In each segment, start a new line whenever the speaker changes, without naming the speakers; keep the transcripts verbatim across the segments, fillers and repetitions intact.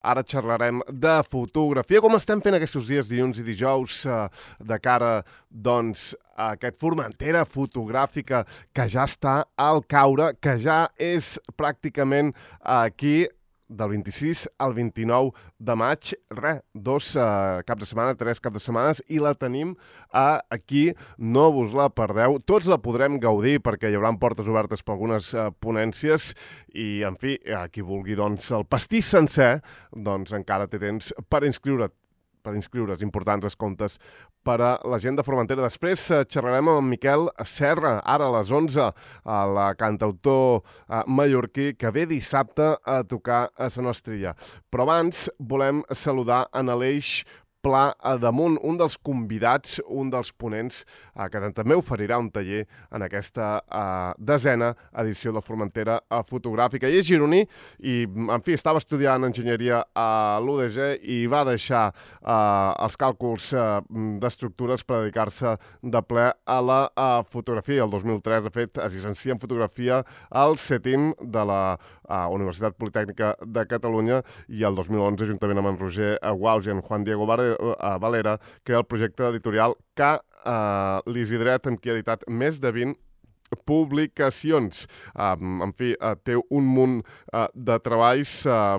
Ara xerrarem de fotografia, com estem fent aquests dies, dilluns i dijous, eh, de cara, doncs, a aquest Formentera fotogràfica que ja està al caure, que ja és pràcticament aquí, del vint-i-sis al vint-i-nou de maig, res, dos uh, caps de setmana, tres caps de setmanes, i la tenim uh, aquí, no vos la perdeu, tots la podrem gaudir perquè hi haurà portes obertes per algunes uh, ponències, i, en fi, a qui vulgui, doncs, el pastís sencer, doncs encara té temps per inscriure't per inscriure's, importants descomptes per a la gent de Formentera. Després eh, xerrarem amb en Miquel Serra, ara a les onze, a la cantautor eh, mallorquí, que ve dissabte a tocar a Sa Nostra. Però abans volem saludar en Aleix Pla Damunt, un dels convidats, un dels ponents, eh, que també oferirà un taller en aquesta eh, desena edició de Formentera eh, fotogràfica. I és gironí i, en fi, estava estudiant enginyeria a l'U D G i va deixar eh, els càlculs eh, d'estructures per dedicar-se de ple a la eh, fotografia. El dos mil tres, de fet, es llicencia en fotografia al CETIM de la eh, Universitat Politècnica de Catalunya, i el dos mil onze, juntament amb en Roger Guaus i en Juan Diego a Valera, crea el projecte editorial K. Uh, L'Isidret, amb qui ha editat més de vint publicacions. Um, en fi, uh, té un munt uh, de treballs, uh,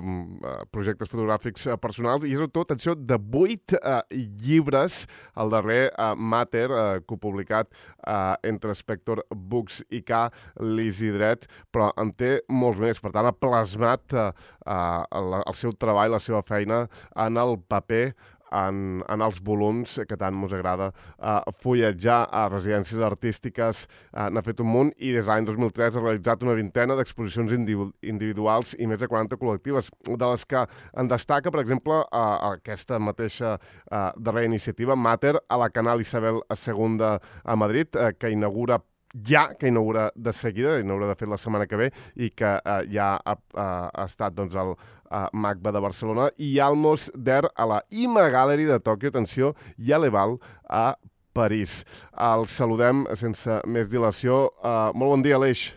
projectes fotogràfics uh, personals, i és tot, atenció, de vuit uh, llibres, el darrer, uh, Mater, uh, copublicat uh, entre Spector Books i K. L'Isidret, però en té molts més. Per tant, ha plasmat uh, uh, el, el seu treball, la seva feina en el paper, En, en els volums que tant mos agrada uh, fulletjar a residències artístiques. Uh, n'ha fet un munt, i des de l'any dos mil tres ha realitzat una vintena d'exposicions individu individuals i més de quaranta col·lectives, de les que en destaca, per exemple, uh, aquesta mateixa uh, darrera iniciativa, Mater, a la Canal Isabel segona a Madrid, uh, que inaugura ja, que inaugura de seguida, inaugura de fet la setmana que ve, i que eh, ja ha, ha, ha estat, doncs, el eh, MACBA de Barcelona, i Almos Der a la Ima Gallery de Tòquio, atenció, i a l'Eval a París. El saludem sense més dilació. Uh, molt bon dia, Aleix.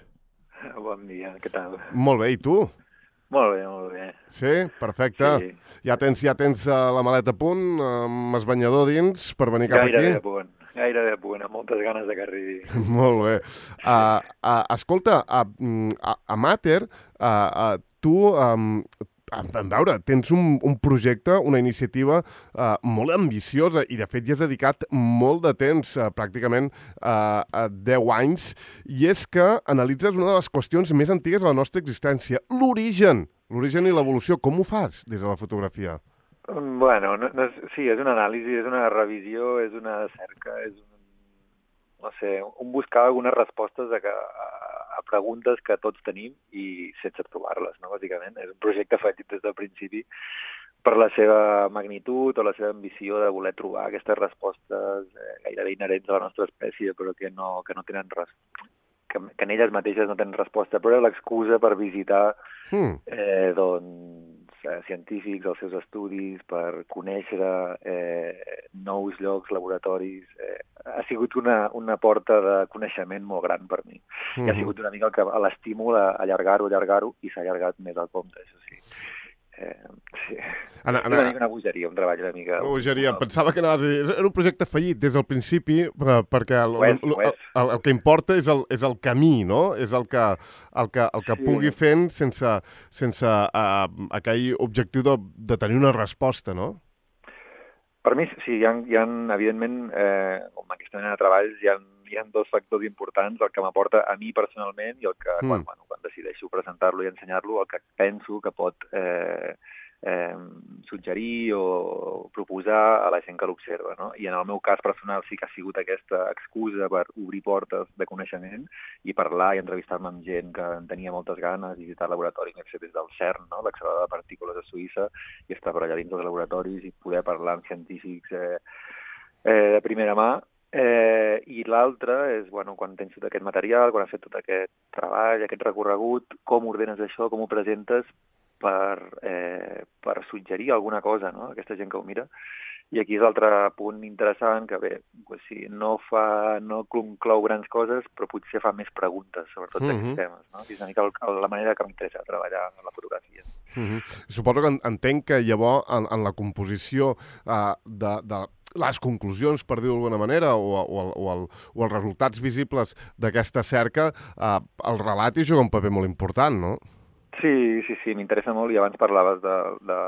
Bon dia, què tal?
Molt bé, i tu?
Molt bé, molt bé.
Sí? Perfecte. Sí. Ja tens, ja tens uh, la maleta a punt, amb el banyador dins, per venir cap
Gairebé
aquí?
a punt. Gairebé a punt, amb moltes ganes de que arribi.
Molt bé. Uh, uh, escolta, a, a, a Mater, uh, uh, tu, um, a, a veure, tens un, un projecte, una iniciativa uh, molt ambiciosa, i de fet ja has dedicat molt de temps, uh, pràcticament uh, uh, deu anys, i és que analitzes una de les qüestions més antigues de la nostra existència, l'origen, l'origen i l'evolució. Com ho fas des de la fotografia?
Bueno, no, no és, sí, és una anàlisi, és una revisió, és una cerca, és un, no sé, un buscar algunes respostes a, a, a preguntes que tots tenim i sense trobar-les, no, bàsicament. És un projecte fet des del principi per la seva magnitud o la seva ambició de voler trobar aquestes respostes eh, gairebé inherents a la nostra espècie, però que no, que no tenen res, que, que en elles mateixes no tenen resposta, però era l'excusa per visitar mm. eh, doncs, eh, científics, els seus estudis, per conèixer eh, nous llocs, laboratoris. Eh, ha sigut una, una porta de coneixement molt gran per mi. Mm-hmm. I ha sigut una mica el que l'estímul a allargar-ho, allargar-ho, i s'ha allargat més al compte, això sí. Eh, sí. Ana, Ana, una mica una bogeria, un treball una mica...
Una bogeria. Pensava que anaves a dir... Era un projecte fallit des del principi, perquè el,
és,
el, el, el, el que importa és el, és el camí, no? És el que, el que, el que sí. pugui fent sense, sense uh, aquell objectiu de, de tenir una resposta, no?
Per mi, sí, hi ha, hi ha evidentment, eh, com aquesta mena de treballs, hi ha, hi ha dos factors importants, el que m'aporta a mi personalment i el que, mm. quan, bueno, quan decideixo presentar-lo i ensenyar-lo, el que penso que pot eh, eh, suggerir o proposar a la gent que l'observa, no? I en el meu cas personal sí que ha sigut aquesta excusa per obrir portes de coneixement i parlar i entrevistar-me amb gent que en tenia moltes ganes, visitar laboratoris, des del CERN, no? L'accelerador de partícules a Suïssa, i estar per allà dins dels laboratoris i poder parlar amb científics eh, eh, de primera mà. Eh, I l'altre és, bueno, quan tens tot aquest material, quan has fet tot aquest treball, aquest recorregut, com ordenes això, com ho presentes, per, eh, per suggerir alguna cosa, no?, a aquesta gent que ho mira. I aquí és l'altre punt interessant, que bé, pues sí, no fa, no conclou grans coses, però potser fa més preguntes sobre tots
Mhm.
aquests temes, no? És una mica el, la manera que m'interessa treballar en la fotografia.
Mhm. Suposo que entenc que llavors en, en la composició uh, de, de les conclusions, per dir-ho d'alguna manera, o, o, el, o, el, o els resultats visibles d'aquesta cerca, uh, el relat hi juga un paper molt important, no?
Sí, sí, sí, m'interessa molt, i abans parlaves de, de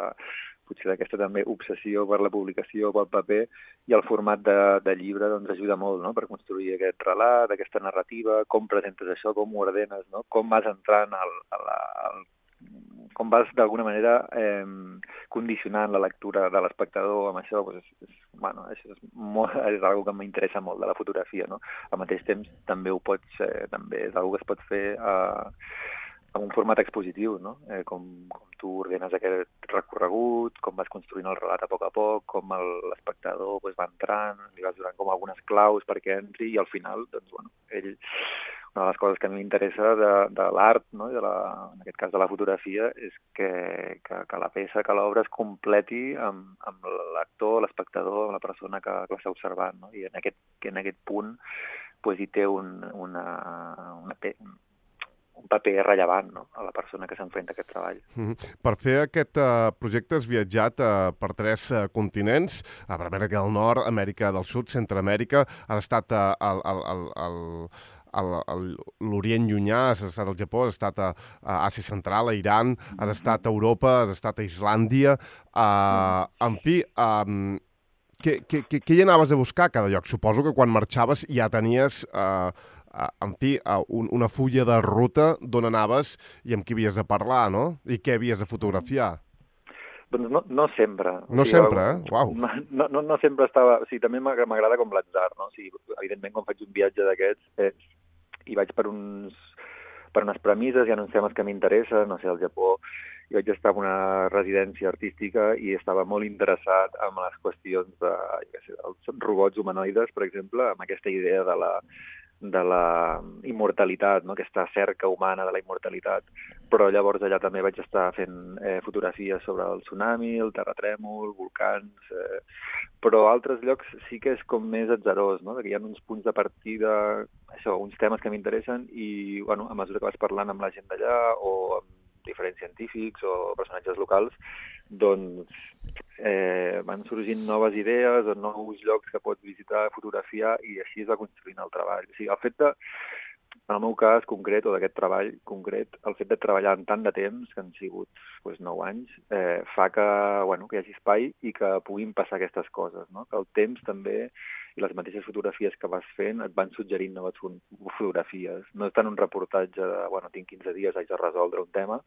potser d'aquesta també obsessió per la publicació, pel paper, i el format de, de llibre doncs ajuda molt, no?, per construir aquest relat, aquesta narrativa, com presentes això, com ho ordenes, no?, com vas entrant al, a la, al, com vas d'alguna manera eh, condicionant la lectura de l'espectador amb això, doncs és, és, bueno, això és, molt, és una que m'interessa molt de la fotografia, no? Al mateix temps també ho pots, eh, també és una que es pot fer eh, amb un format expositiu, no? Eh, com, com tu ordenes aquest recorregut, com vas construint el relat a poc a poc, com l'espectador pues, va entrant, li vas donant com algunes claus perquè entri, i al final, doncs, bueno, ell, una de les coses que a mi m'interessa de, de l'art, no? de la, en aquest cas de la fotografia, és que, que, que la peça, que l'obra es completi amb, amb l'actor, l'espectador, amb la persona que, que l'està observant, no? I en aquest, que en aquest punt pues, hi té un, una, una, un paper rellevant, no?, a la persona que s'enfrenta a aquest treball.
Mm-hmm. Per fer aquest uh, projecte has viatjat uh, per tres uh, continents, a Amèrica del Nord, Amèrica del Sud, Centroamèrica, has estat uh, al, al, al, al a l'Orient Llunyà, has estat al Japó, has estat a, a Àsia Central, a Iran, has estat a Europa, has estat a Islàndia. Uh, en fi, um, què, què, què hi anaves a buscar a cada lloc? Suposo que quan marxaves ja tenies, uh, uh, en fi, uh, un, una fulla de ruta d'on anaves i amb qui havies de parlar, no? I què havies de fotografiar.
Doncs no, no sempre.
No o sigui, sempre, eh? Uau.
No, no, no sempre estava... O sigui, també m'agrada com l'atzar, no? O sigui, evidentment, quan faig un viatge d'aquests, eh, i vaig per, uns, per unes premisses, hi ha uns temes que m'interessen, no sé, al Japó, i vaig estar en una residència artística i estava molt interessat en les qüestions de, jo sé, dels robots humanoides, per exemple, amb aquesta idea de la, de la immortalitat, no? Aquesta cerca humana de la immortalitat. Però llavors allà també vaig estar fent eh, fotografies sobre el tsunami, el terratrèmol, volcans... Eh, però a altres llocs sí que és com més atzarós, no? Que hi ha uns punts de partida, això, uns temes que m'interessen i, bueno, a mesura que vas parlant amb la gent d'allà o amb diferents científics o personatges locals, doncs eh, van sorgint noves idees o nous llocs que pots visitar, fotografiar, i així es va construint el treball. O sigui, el fet de, en el meu cas concret, o d'aquest treball concret, el fet de treballar en tant de temps, que han sigut pues, nou anys, eh, fa que, bueno, que hi hagi espai i que puguin passar aquestes coses, no? Que el temps també, i les mateixes fotografies que vas fent, et van suggerint noves fotografies. No és tant un reportatge de, bueno, tinc quinze dies, haig de resoldre un tema,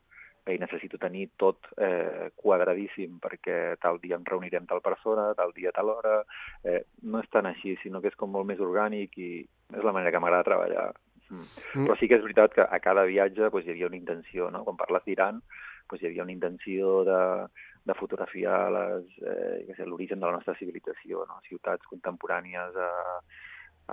i necessito tenir tot eh, quadradíssim perquè tal dia em reunirem tal persona, tal dia, tal hora... Eh, no és tan així, sinó que és com molt més orgànic i és la manera que m'agrada treballar. Mm. Mm. Però sí que és veritat que a cada viatge pues, hi havia una intenció, no? Quan parles d'Iran, pues, hi havia una intenció de, de fotografiar eh, l'origen de la nostra civilització, no? Ciutats contemporànies a,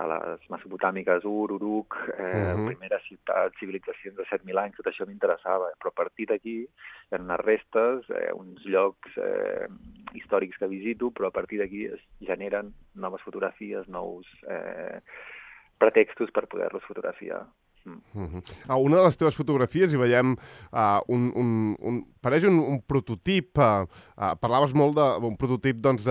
a les mesopotàmiques, Ur, Uruk, eh, uh-huh. primera ciutat, civilitzacions de set mil anys, tot això m'interessava. Però a partir d'aquí hi ha unes restes, eh, uns llocs eh, històrics que visito, però a partir d'aquí es generen noves fotografies, nous... Eh, pretextos per poder-los fotografiar. Mm.
Uh-huh. A una de les teves fotografies hi veiem uh, un, un, un, pareix un, un prototip, uh, uh, parlaves molt d'un prototip doncs,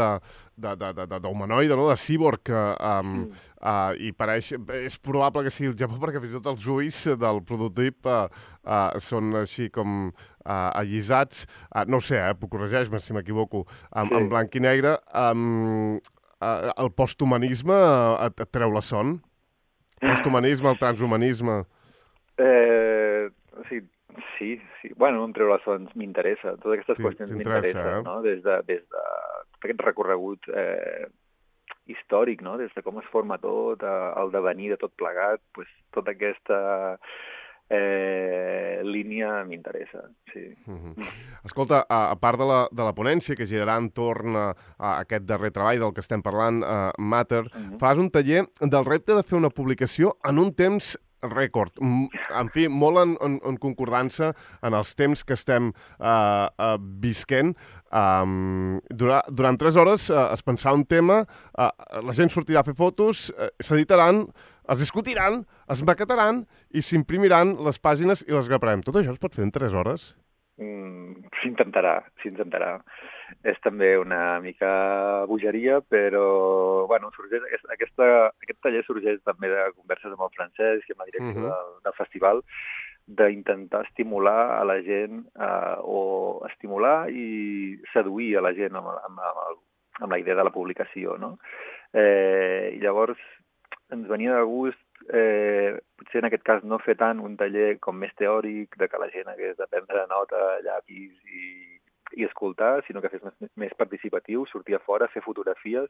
d'humanoide, no? De cíborg, uh, um, mm. uh, i pareix, és probable que sigui el Japó perquè fins i tot els ulls del prototip uh, uh, són així com uh, allisats, uh, no ho sé, eh, corregeix-me si m'equivoco, um, sí. En blanc i negre. Um, uh, el posthumanisme uh, et, et treu la son? Posthumanisme, el transhumanisme...
Eh, sí, sí, sí. Bueno, em treu les sons, m'interessa. Totes aquestes sí, qüestions m'interessen, eh? No? Des de, des de aquest recorregut eh, històric, no? Des de com es forma tot, el devenir de tot plegat, pues, tota aquesta... Eh, línia m'interessa, sí.
Uh-huh. Escolta, a, a part de la, de la ponència que girarà entorn a, a aquest darrer treball del que estem parlant, uh, Matter, uh-huh. faràs un taller del repte de fer una publicació en un temps rècord. En fi, molt en, en, en concordança en els temps que estem uh, uh, visquent. Um, durant, durant tres hores uh, es pensarà un tema, uh, la gent sortirà a fer fotos, uh, s'editaran, es discutiran, es maquetaran i s'imprimiran les pàgines i les graparem. Tot això es pot fer en tres hores?
Mm, s'intentarà, s'intentarà. És també una mica bogeria, però bueno, sorgeix, aquesta, aquesta, aquest taller sorgeix també de converses amb el Francesc i amb la direcció uh-huh. del, del festival, d'intentar estimular a la gent eh, o estimular i seduir a la gent amb, amb, amb, amb la idea de la publicació, no? Eh, I llavors ens venia de gust Eh, potser en aquest cas no fer tant un taller com més teòric, de que la gent hagués de prendre nota, llapis i, i escoltar, sinó que fes més, més participatiu, sortir a fora, fer fotografies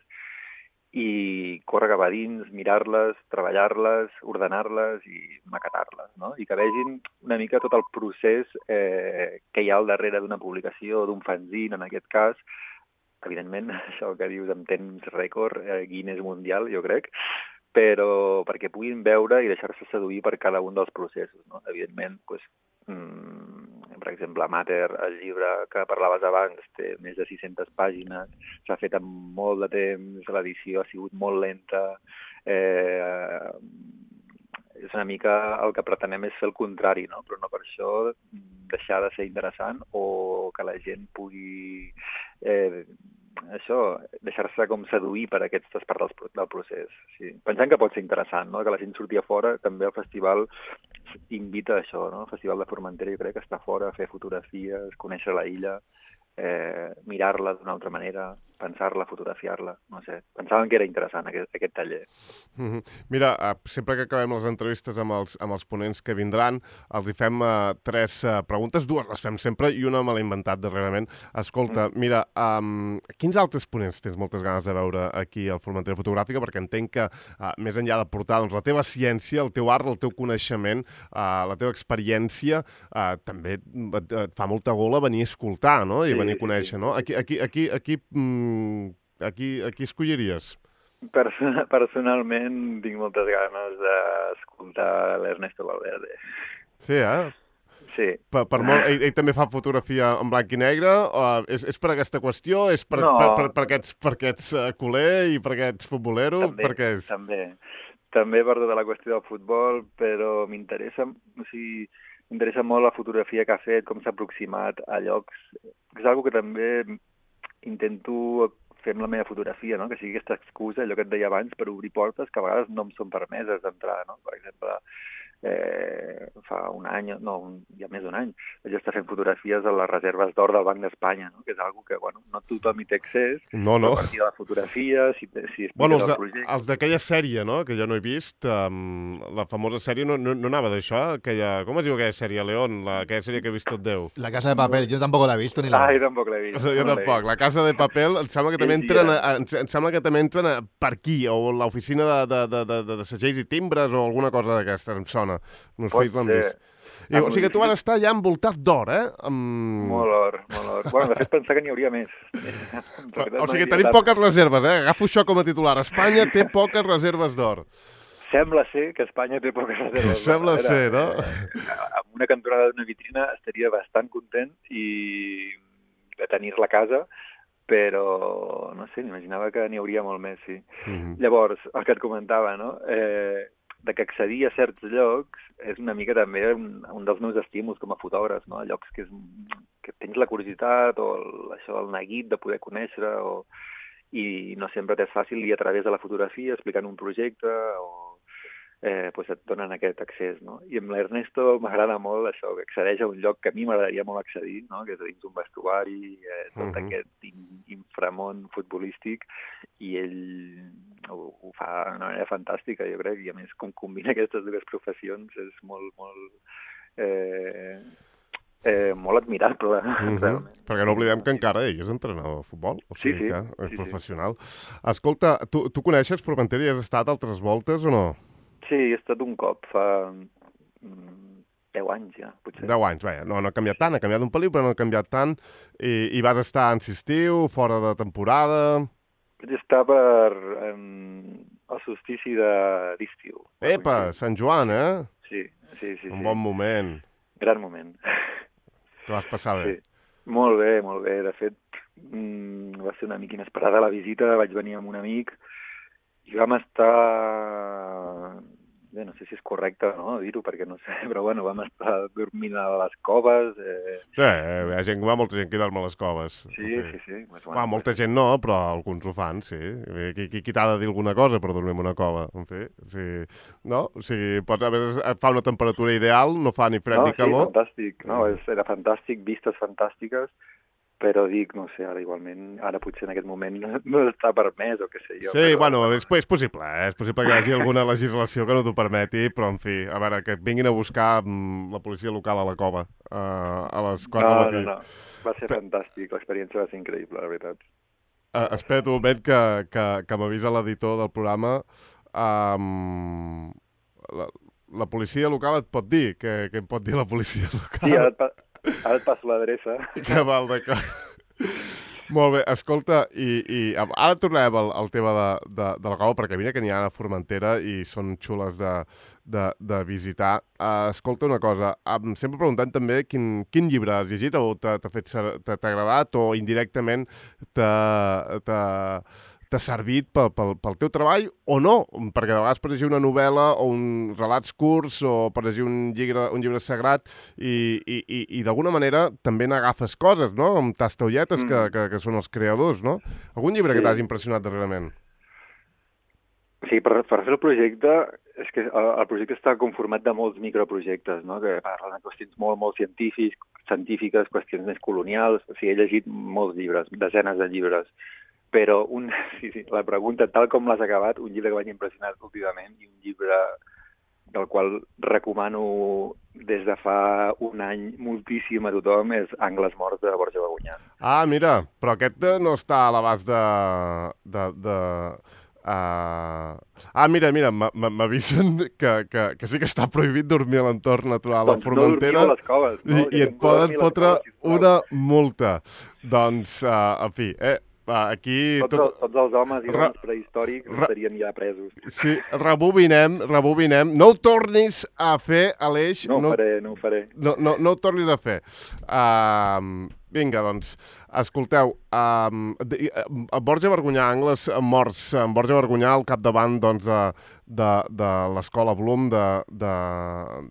i córrer cap a dins, mirar-les, treballar-les, ordenar-les i maquetar-les, no? I que vegin una mica tot el procés eh, que hi ha al darrere d'una publicació, d'un fanzine, en aquest cas. Evidentment, això que dius en temps rècord, eh, Guinness mundial, jo crec, però perquè puguin veure i deixar-se seduir per cada un dels processos, no? Evidentment, doncs, mmm, per exemple, Mater, el llibre que parlaves abans, té més de sis-centes pàgines, s'ha fet en molt de temps, l'edició ha sigut molt lenta, eh, és una mica el que pretenem és fer el contrari, no? Però no per això deixar de ser interessant o que la gent pugui... Eh, això, deixar-se com seduir per aquestes parts del, del procés. Sí. Pensant que pot ser interessant, no? Que la gent surti a fora, també el festival invita a això, no? El Festival de Formentera jo crec que està fora, fer fotografies, conèixer la illa, eh, mirar-la d'una altra manera, pensar-la, fotografiar-la, no sé. Pensàvem que era interessant aquest, aquest taller.
Mm-hmm. Mira, sempre que acabem les entrevistes amb els, amb els ponents que vindran, els hi fem uh, tres uh, preguntes, dues les fem sempre i una me l'he inventat darrerament. Escolta, mm. mira, um, quins altres ponents tens moltes ganes de veure aquí al Formentera Fotogràfica? Perquè entenc que, uh, més enllà de portar doncs, la teva ciència, el teu art, el teu coneixement, uh, la teva experiència, uh, també et, et fa molta gola venir a escoltar, no? I sí, venir a conèixer, sí, no? Aquí, aquí, aquí, aquí, mm, aquí, aquí escolliries?
Person personalment tinc moltes ganes d'escoltar l'Ernesto Valverde.
Sí, eh?
Sí.
Per, per molt, ell, ell també fa fotografia en blanc i negre? O és, és per aquesta qüestió? És per,
no.
per, per, per aquests, per aquests uh, culer i per aquests futbolero?
També,
per què és?
també. També per tota la qüestió del futbol, però m'interessa, o sigui, m'interessa molt la fotografia que ha fet, com s'ha aproximat a llocs. És una cosa que també intento fer amb la meva fotografia, no? Que sigui aquesta excusa, allò que et deia abans, per obrir portes que a vegades no em són permeses d'entrar, no? Per exemple, eh, fa un any, no, un, ja més d'un any, vaig estar fent fotografies a les reserves d'or del Banc d'Espanya, no? Que és una que, bueno, no tothom hi té accés,
no, no.
a partir de la fotografia, si, si
bueno, els, de, els d'aquella sèrie, no?, que jo no he vist, um, la famosa sèrie, no, no, no anava d'això? Aquella, com es diu aquella sèrie, León? La, aquella sèrie que he vist tot Déu.
La Casa de Papel, jo tampoc l'he vist ni la...
Ah, jo tampoc l'he vist.
O sigui, jo no tampoc. La Casa de Papel, em sembla que també entren, a, em sembla que també entren a, per aquí, o l'oficina de, de, de, de, de, de segells i timbres, o alguna cosa d'aquestes, em sona. No sé, l'han vist. I, o sigui que tu vas estar ja envoltat d'or, eh? Amb...
Molt or, molt or. Bueno, de fet, pensar que n'hi hauria més.
O sigui, tenim poques reserves, eh? Agafo això com a titular. Espanya té poques reserves d'or.
Sembla ser que Espanya té poques reserves d'or.
Sembla ser, no?
Amb una cantonada d'una vitrina estaria bastant content i de tenir-la a casa, però, no sé, m'imaginava que n'hi hauria molt més, sí. Mm-hmm. Llavors, el que et comentava, no? Eh... de que accedir a certs llocs és una mica també un, un dels meus estímuls com a fotògraf, no? Llocs que, és, que tens la curiositat o el, això, el neguit de poder conèixer o, i no sempre t'és fàcil i a través de la fotografia explicant un projecte o eh, pues et donen aquest accés, no? I amb l'Ernesto m'agrada molt això, que accedeix a un lloc que a mi m'agradaria molt accedir, no? Que és dins un vestuari, eh, tot uh-huh. aquest in, inframón futbolístic, i ell ho, ho fa d'una manera fantàstica, jo crec, i a més com combina aquestes dues professions és molt, molt, eh, eh, molt admirable.
Uh-huh. Perquè no oblidem que encara ell és entrenador de futbol, o sigui sí, sí. que és sí, professional. Sí. Escolta, tu, tu coneixes Formentera i has estat altres voltes o no?
Sí, he estat un cop, fa deu anys ja, potser.
Deu anys, vaja, no, no ha canviat tant, ha canviat un pel·lín, però no ha canviat tant, i, i vas estar en estiu, fora de temporada...
Vaig estar per um, el solstici d'estiu.
Epa, Sant Joan, eh?
Sí, sí, sí.
Un
sí.
bon moment.
Gran moment.
Te vas passar bé.
Sí. Molt bé, molt bé. De fet, mmm, va ser una mica inesperada la visita. Vaig venir amb un amic i vam estar... Bé, no sé si és correcte o no dir-ho, perquè no sé, però bueno, vam estar dormint a les coves. Eh...
Sí, eh, hi ha gent, va molta gent que dorm a les coves.
Sí, sí, sí. Pues,
bueno, Va, molta gent no, però alguns ho fan, sí. Qui, qui, qui t'ha de dir alguna cosa per dormir en una cova? En fi, sí. No? O sigui, pot, a veure, fa una temperatura ideal, no fa ni fred
no,
ni calor.
Sí, fantàstic. No, és, era fantàstic, vistes fantàstiques, però dic, no sé, ara igualment, ara potser en aquest moment no, no està permès o què sé jo.
Sí,
però,
bueno, és, és possible, eh? És possible que hi hagi alguna legislació que no t'ho permeti, però, en fi, a veure, que et vinguin a buscar mm, la policia local a la cova uh, a les quatre
no,
del matí.
No, no, va ser fantàstic, l'experiència va ser increïble, la veritat.
Uh, espera't un moment que, que, que m'avisa l'editor del programa. Um, la, la policia local et pot dir? Què, què em pot dir la policia local?
Sí, ara et, pa ara et passo l'adreça.
Que val, d'acord. Molt bé, escolta, i, i ara tornarem al, al tema de, de, de la cova, perquè mira que n'hi ha a Formentera i són xules de, de, de visitar. Uh, escolta una cosa, um, sempre preguntant també quin, quin llibre has llegit o t'ha fet t'ha agradat o indirectament t'ha t'ha servit pel, pel, pel teu treball o no, perquè de vegades per llegir una novel·la o un relats curts o per llegir un llibre, un llibre sagrat i, i, i, i d'alguna manera també n'agafes coses, no? Amb tastaulletes mm. que, que, que són els creadors, no? Algun llibre sí. que t'has impressionat darrerament?
Sí, per, per fer el projecte, és que el, el projecte està conformat de molts microprojectes, no? Que parlen de qüestions molt, molt científics, científiques, qüestions més colonials. O sigui, he llegit molts llibres, desenes de llibres. Però un, sí, sí, la pregunta, tal com l'has acabat, un llibre que m'ha impressionat últimament i un llibre del qual recomano des de fa un any moltíssim a tothom és Angles morts de Borja Bagunyà.
Ah, mira, però aquest no està a l'abast de... de, de... Uh... Ah, mira, mira, m'avisen que, que, que sí que està prohibit dormir a l'entorn natural
doncs
a Formentera
no a les coves, no?
i, i et poden fotre una multa. Doncs, uh, en fi, eh, aquí...
Tots, tot... tots els homes i dones prehistòrics Re... estarien ja presos.
Sí, rebobinem, rebobinem. No ho tornis a fer, Aleix.
No ho no... faré, no ho faré.
No, no, no ho tornis a fer. Uh, vinga, doncs, escolteu, uh, Borja Bagunyà, Angles morts, en Borja Bagunyà al capdavant doncs, de, de, de l'escola Bloom, de, de,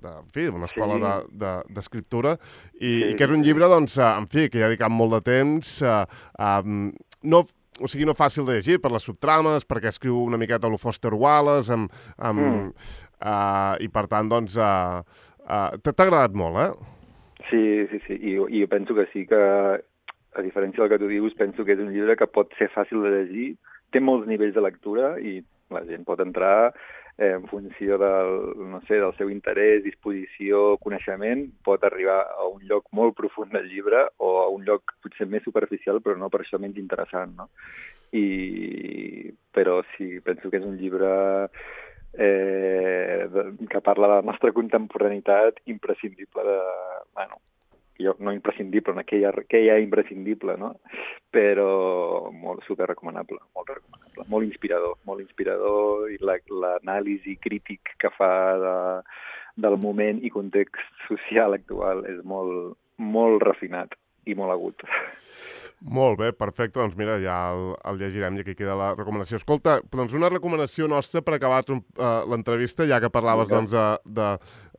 de, en fi, d'una escola sí. d'escriptura, de, de, i, sí. i que és un llibre, doncs, en fi, que hi ha dedicat molt de temps, uh, um, no, o sigui, no fàcil de llegir per les subtrames, perquè escriu una miqueta a lo Foster Wallace, amb, amb, mm. uh, i per tant, doncs, uh, uh, t'ha agradat molt, eh?
Sí, sí, sí, I, i jo penso que sí que, a diferència del que tu dius, penso que és un llibre que pot ser fàcil de llegir, té molts nivells de lectura i la gent pot entrar eh, en funció del, no sé, del seu interès, disposició, coneixement, pot arribar a un lloc molt profund del llibre o a un lloc potser més superficial, però no per això menys interessant, no? I, però sí, penso que és un llibre eh, de, que parla de la nostra contemporaneitat imprescindible de... Bueno, jo, no imprescindible, no, que, hi ha, que hi ha imprescindible, no? Però molt super recomanable, molt recomanable, molt inspirador, molt inspirador i l'anàlisi crític que fa de, del moment i context social actual és molt, molt refinat i molt agut.
Molt bé, perfecte. Doncs mira, ja el, el llegirem i aquí queda la recomanació. Escolta, doncs una recomanació nostra per acabar uh, l'entrevista, ja que parlaves doncs, de, de,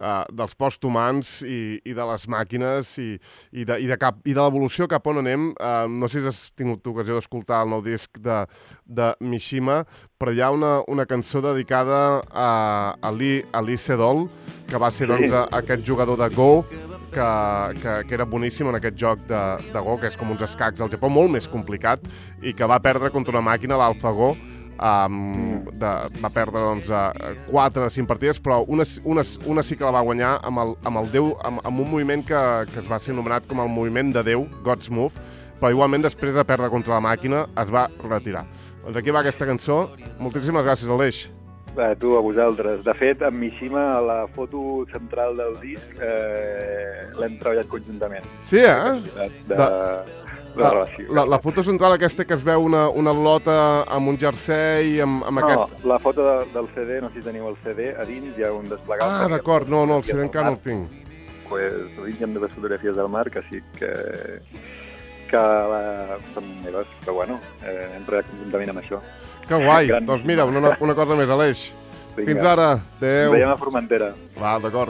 uh, dels posthumans i, i de les màquines i, i de, i de, cap, i de l'evolució cap on anem. Uh, no sé si has tingut ocasió d'escoltar el nou disc de, de Mishima, però hi ha una, una cançó dedicada a, a Lee, a Lee Sedol, que va ser doncs, a, aquest jugador de Go, que, que, que era boníssim en aquest joc de, de Go, que és com uns escacs al Japó, molt més complicat, i que va perdre contra una màquina, l'AlphaGo, um, de, va perdre doncs, quatre de cinc partides, però una, una, una sí que la va guanyar amb el, amb el Déu, amb, amb un moviment que, que es va ser anomenat com el moviment de Déu, God's Move, però igualment després de perdre contra la màquina es va retirar. Doncs aquí va aquesta cançó. Moltíssimes gràcies, Aleix.
A tu, a vosaltres. De fet, amb Mishima, a la foto central del disc, eh, l'hem treballat conjuntament.
Sí, eh?
De, de, la relació.
La, la foto central aquesta que es veu una, una lota amb un jersei, amb, amb
no,
aquest...
la foto de, del C D, no sé si teniu el C D, a dins hi ha un desplegable.
Ah, d'acord, no, no, el C D encara no el tinc.
Pues, a dins hi ha dues fotografies del mar que sí que, que la, són meves, però bueno, eh, hem treballat conjuntament amb això.
Que guai,
Gran...
doncs mira, una, una cosa més, Aleix.
Vinga.
Fins ara, adéu.
Ens veiem a Formentera.
Va, d'acord.